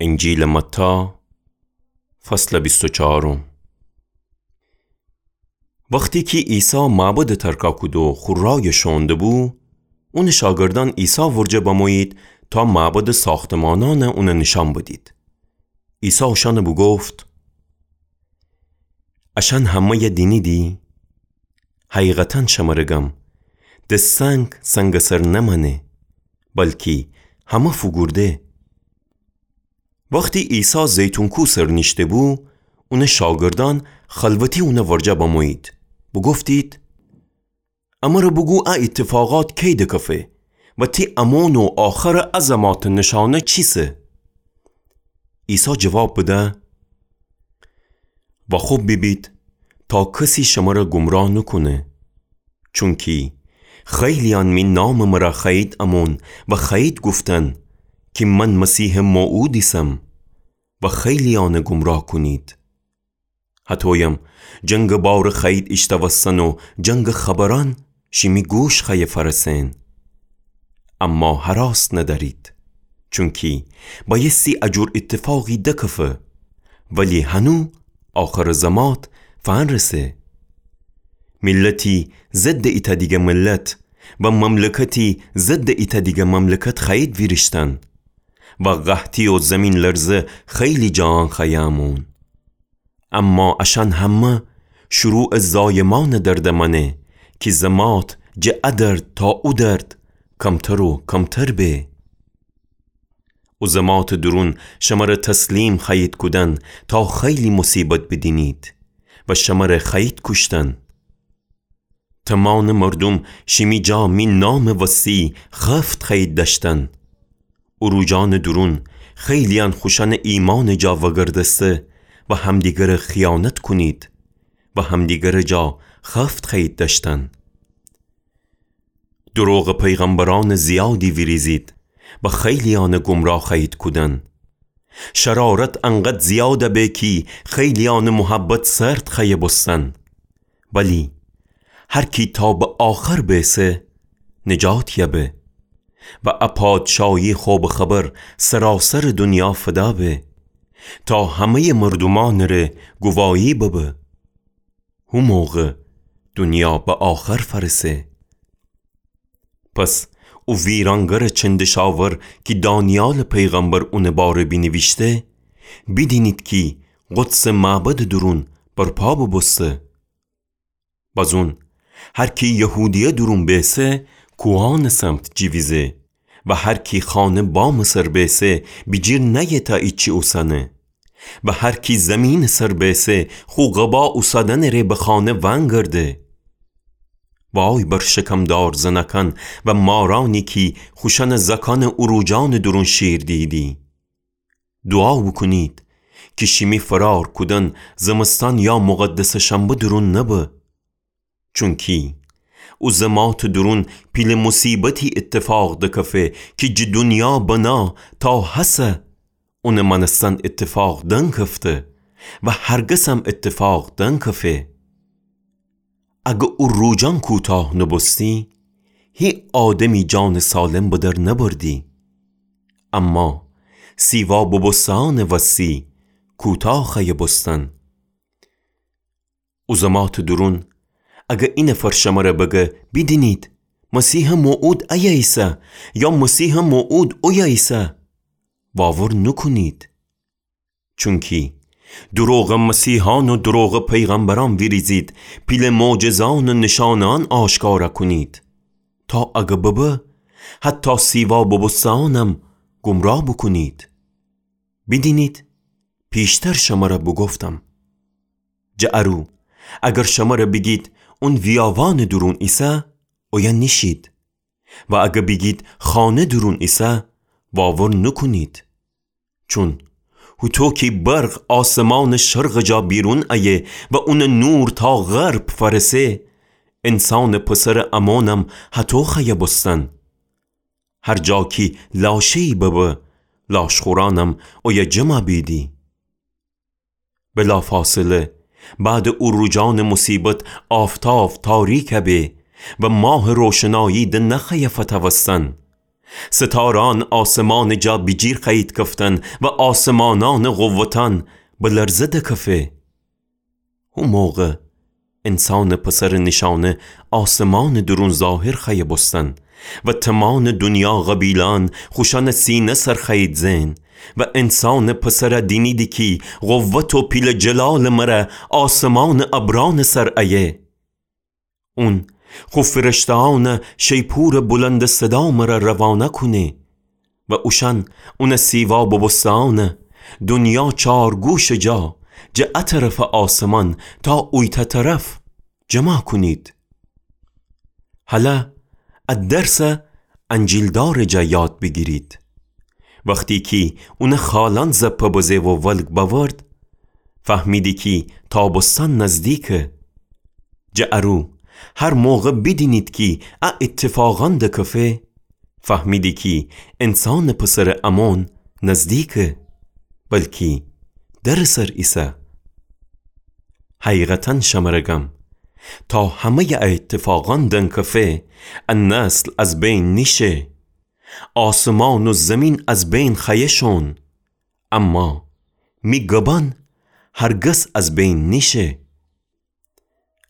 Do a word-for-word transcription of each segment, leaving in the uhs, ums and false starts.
انجیلٚ متی، فصلٚ بیست و چهارم. وختی کی عیسی معبدَ ترکَ کودو خو رایَ شوئون دبو، اونٚ شاگردأن عیسی ورجه بمویید تا معبدٚ ساختمانأنَ اونَ نیشأن بدید. عیسی اوشأنَ بوگفت: اشأن همه‌یَ دینیدی؟ حقیقتاً شمرَ گم، د سنگ سنگٚ سر نمأنه، بلکی همه فوگورده. وختی عیسی زیتون کو سر نیشته‌بو، اونٚ شاگردأن خلوتی اونٚ ورجه بمویید، بوگفتید: امرَ بوگو ا ایتفاقات کی دکفه و تی امون و آخرٚ ا زماتٚ نیشأنه چیسه؟ عیسی جواب بده: واخوب بیبید تا کسی شمرَ گمراه نوکونه. چونکی خیلیأن می نامٚ مرَ خوأیید امون و خوأیید گفتن کی من مسیحٚ موعود ایسم و خیلیأنَ گمراه کونید. هطویم جنگٚ بارَ خوأیید ایشتوستن و جنگٚ خبرأن شیمی گوش خوأیه فأرسئن. اما هراس ندأرید، چونکی بأیستی ا جور ایتفاقی دکفه، ولی هنو آخرٚ زمات فأنرسه. میلتی ضدٚ ایتأ دیگه میلت و مملکتی ضدٚ ایتأ دیگه مملکت خوأیید ویریشتن و قحطی و زیمین‌لرزه خیلی جاأن خوأیه امون. اما اشأن همه شروعٚ زایمأنٚ درد مأنه کی زمات جٚه ا درد تا او درد کمتر و کمتر به. او زماتٚ دورون شمرَ تسلیم خوأیید کودن تا خیلی موصیبت بیدینید و شمرَ خوأیید کوشتن. تمانٚ مردوم شیمی جا می نامٚ وستی خفت خوأیید دأشتن. او روجأنٚ دورون خیلیأن خوشأنٚ ایمأنٚ جا وگردسته و همدیگرَ خیانت کونید و همدیگرٚ جا خفت خوأیید دأشتن. دروغٚ پیغمبرأنٚ زیادی ویریزید و خیلیأنَ گمراه خوأیید کودن. شرارت انقدر زیادَ به کی خیلیأنٚ محبت سرد خوأیه بوستن. ولی هر کی تا به آخر بیسه، نجات یأبه. و ا پادشاهی خوبٚ خبر سراسرٚ دونیا فدا به، تا همه‌یٚ مردومأنٚ ره گواهی ببه. هو موقع دونیا به آخر فأرسه. پس او ویرانگرٚ چندشاور کی دانیالٚ پیغمبر اونٚ باره بینیویشته، بیدینید کی قدسٚ معبدٚ دورون برپا بوبوسته. بازون هر کی یهودیه دورون بیسه، کوهأنٚ سمت جیویزه و هر کی خانه بامٚ سر بیسه، بیجیر نأیه تا ایچی اوسنه. و هر کی زیمینٚ سر بیسه، خو قبا اوسادنٚ ره به خانه وأنگرده. وای بر شکمدار زنأکأن و مارأنی کی خوشأنٚ زأکأنٚ اوروجأنٚ دورون شیر دیدی. دوعا بوکونید کی شیمی فرار کودن زمستان یا مقدسٚ شنبه دورون نبه. چونکی او زماتٚ دورون پیله موصیبتی ایتفاق دکفه کی جٚه دونیا بنا تا هسه اونٚ مأنستن ایتفاق دنکفته و هرگزم ایتفاق دنکفه. اگر او روجأن کوتاه نوبوستی، هی آدمی جانٚ سالم به در نبردی. اما سیوا بوبوسته‌یأنٚ وستی کوتاه خوأیه بوستن. او زماتٚ دورون، اگر اینفر شمره بگه، بیدینید، مسیحٚ موعود ایه ایسه، یا مسیحٚ موعود اویه ایسه، واور نوکونید. چونکی دروغٚ مسیحأن و دروغٚ پیغمبرأن ویریزید، پیله معجزه‌یأن و نیشأنه‌یأن آشکارا کونید، تا اگر ببه، حتی سیوا بوبوسته‌یأنم گمراه بوکونید. بیدینید، پیشتر شمره بوگفتم. جٚه ارو، اگر شمره بیگید، اون ویاوانٚ دورون ایسه، اویه نیشید. و اگر بیگید، خانه دورون ایسه، واور نوکونید. چون هوطو کی برق آسمانٚ شرقٚ جا بیرون ایه و اونٚ نور تا غرب فأرسه، انسانٚ پسرٚ امونم هطو خوأیه بوستن. هر جا کی لاشه‌یی ببه، لاشخورأنم اویه جمع بیدی. بلافاصله، بعدٚ او روجأنٚ موصیبت آفتاف تاریکَ به و ماهٚ روشنایی د نخوأیه فتوستن. ستارأن آسمانٚ جا بیجیر خوأیید کفتن و آسمانأنٚ قوتأن به لرزه دکفه. هو موقع انسانٚ پسرٚ نیشأنه آسمانٚ دورون ظاهر خوأیه بوستن و تمانٚ دونیا قبیله‌أن خوشأنٚ سینه سر خوأیید زئن و انسانٚ پسرَ دینیدی کی قوت و پیله جلالٚ مره آسمانٚ ابرأنٚ سر ایه. اون خو فرشته‌أنَ شیپورٚ بلندٚ صدا مره روانه کونه و اوشأن اونٚ سیوا بوبوسته‌أنَ دونیا چارگوشٚ جا، جٚه ا طرفٚ آسمان تا اویتأ طرف جمع کونید. هلأ ا درسَ انجیلدارٚ جا یاد بیگیرید. وختی کی اونٚ خالأن زپه بزه و ولگ بأورد، فهمیدی کی تابستان نزدیکه. جٚه ارو هر موقع بیدینید کی ا ایتفاقأن دکفه، فهمیدی کی انسانٚ پسرٚ امون نزدیکه، بلکی درٚ سر ایسه. حقیقتاً شمره گم، تا همه‌یٚ ا ایتفاقأن دنکفه، ا نسل از بین نیشه. آسمان و زیمین از بین خوأیه شون، اما می گبأن هرگز از بین نیشه.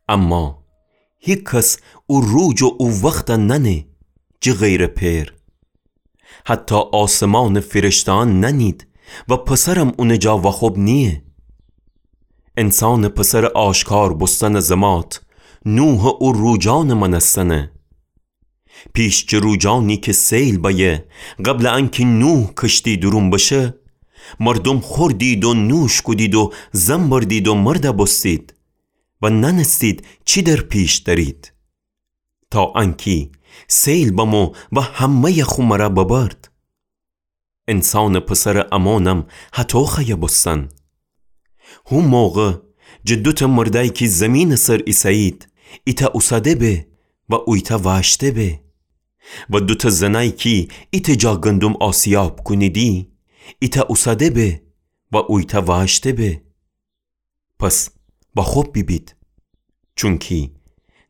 اما هیکس او روج و او وختَ نأنه، جٚه غیرٚ پئر. حتی آسمانٚ فرشته‌أن نأنید و پسرم اونٚ جا وأخوب نییه. انسانٚ پسرٚ آشکار بوستنٚ زمات نوحٚ او روجأنٚ مأنستنه. پیش جٚه روجأنی کی سیل بأیه، قبلٚ انکی نوح کشتی دورون بشه، مردوم خوردید و نوش کودید و زن بردید و مرده بوستید و نأنستید چی در پیش دأرید، تا انکی سیل بمو و همه‌یٚ خو مره ببرد. انسانٚ پسرٚ امونم هطو خوأیه بوستن. هو موقع جٚه دوتأ مردأی کی زیمینٚ سر ایسه‌یید، ایتأ اوسده به و اویتأ وأشته به. و دوتأ زنأی کی ایتأ جا گندم آسیاب کونیدی، ایتأ اوسده به و اویتأ وأشته به. پس وأخوب بیبید، چونکی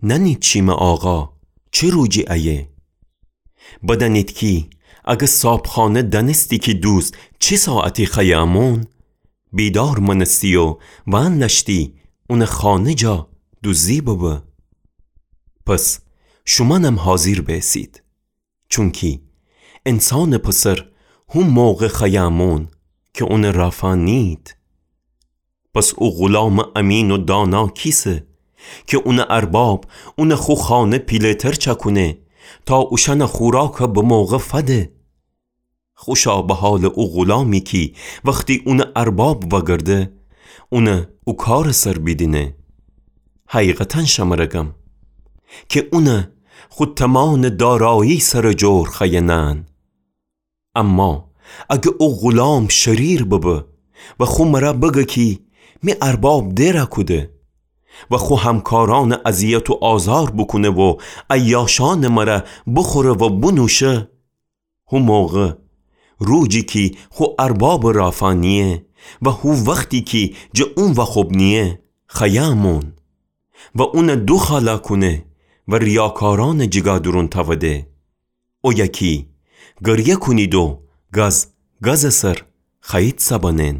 نأنید شیمه آقا چه روجی ایه. بدأنید کی اگر صابخانه دأنستی کی دوز چه ساعتی خوأیه امون، بیدار مأنستی و وأندأشتی اونٚ خانه جا دوزی ببه. پس شومأنم حاضیر بأیسید، چونکی انسانٚ پسر هو موقع خوأیه امون کی اونٚ رافا نیید. پس او غولامٚ امین و دانا کیسه کی اونٚ ارباب اونٚ خو خانه پیله‌تر چأکونه تا اوشأنٚ خوراکَ به موقع فده؟ خوشا به حالٚ او غولامی کی وختی اونٚ ارباب وأگرده، اونَ او کارٚ سر بیدینه. حقیقتاً شمره گم کی اونَ خو تمانٚ دارایی سرٚ جور خوأیه نأن. اما اگر او غولام شریر ببه و خو مره بگه کی می ارباب دئرَ کوده و خو همکارأنَ اذیت و آزار بوکونه و عیاشأنٚ مره بوخوره و بونوشه، هو موقع، روجی کی خو اربابٚ رافا نییه و هو وختی کی جٚه اون وأخوب نییه، خوأیه امون و اونَ دوخالا کونه و ریاکارأنٚ جیگا دورون تأوده. اویه کی گریه کونید و گز گزٚ سر خوأیید سبنن.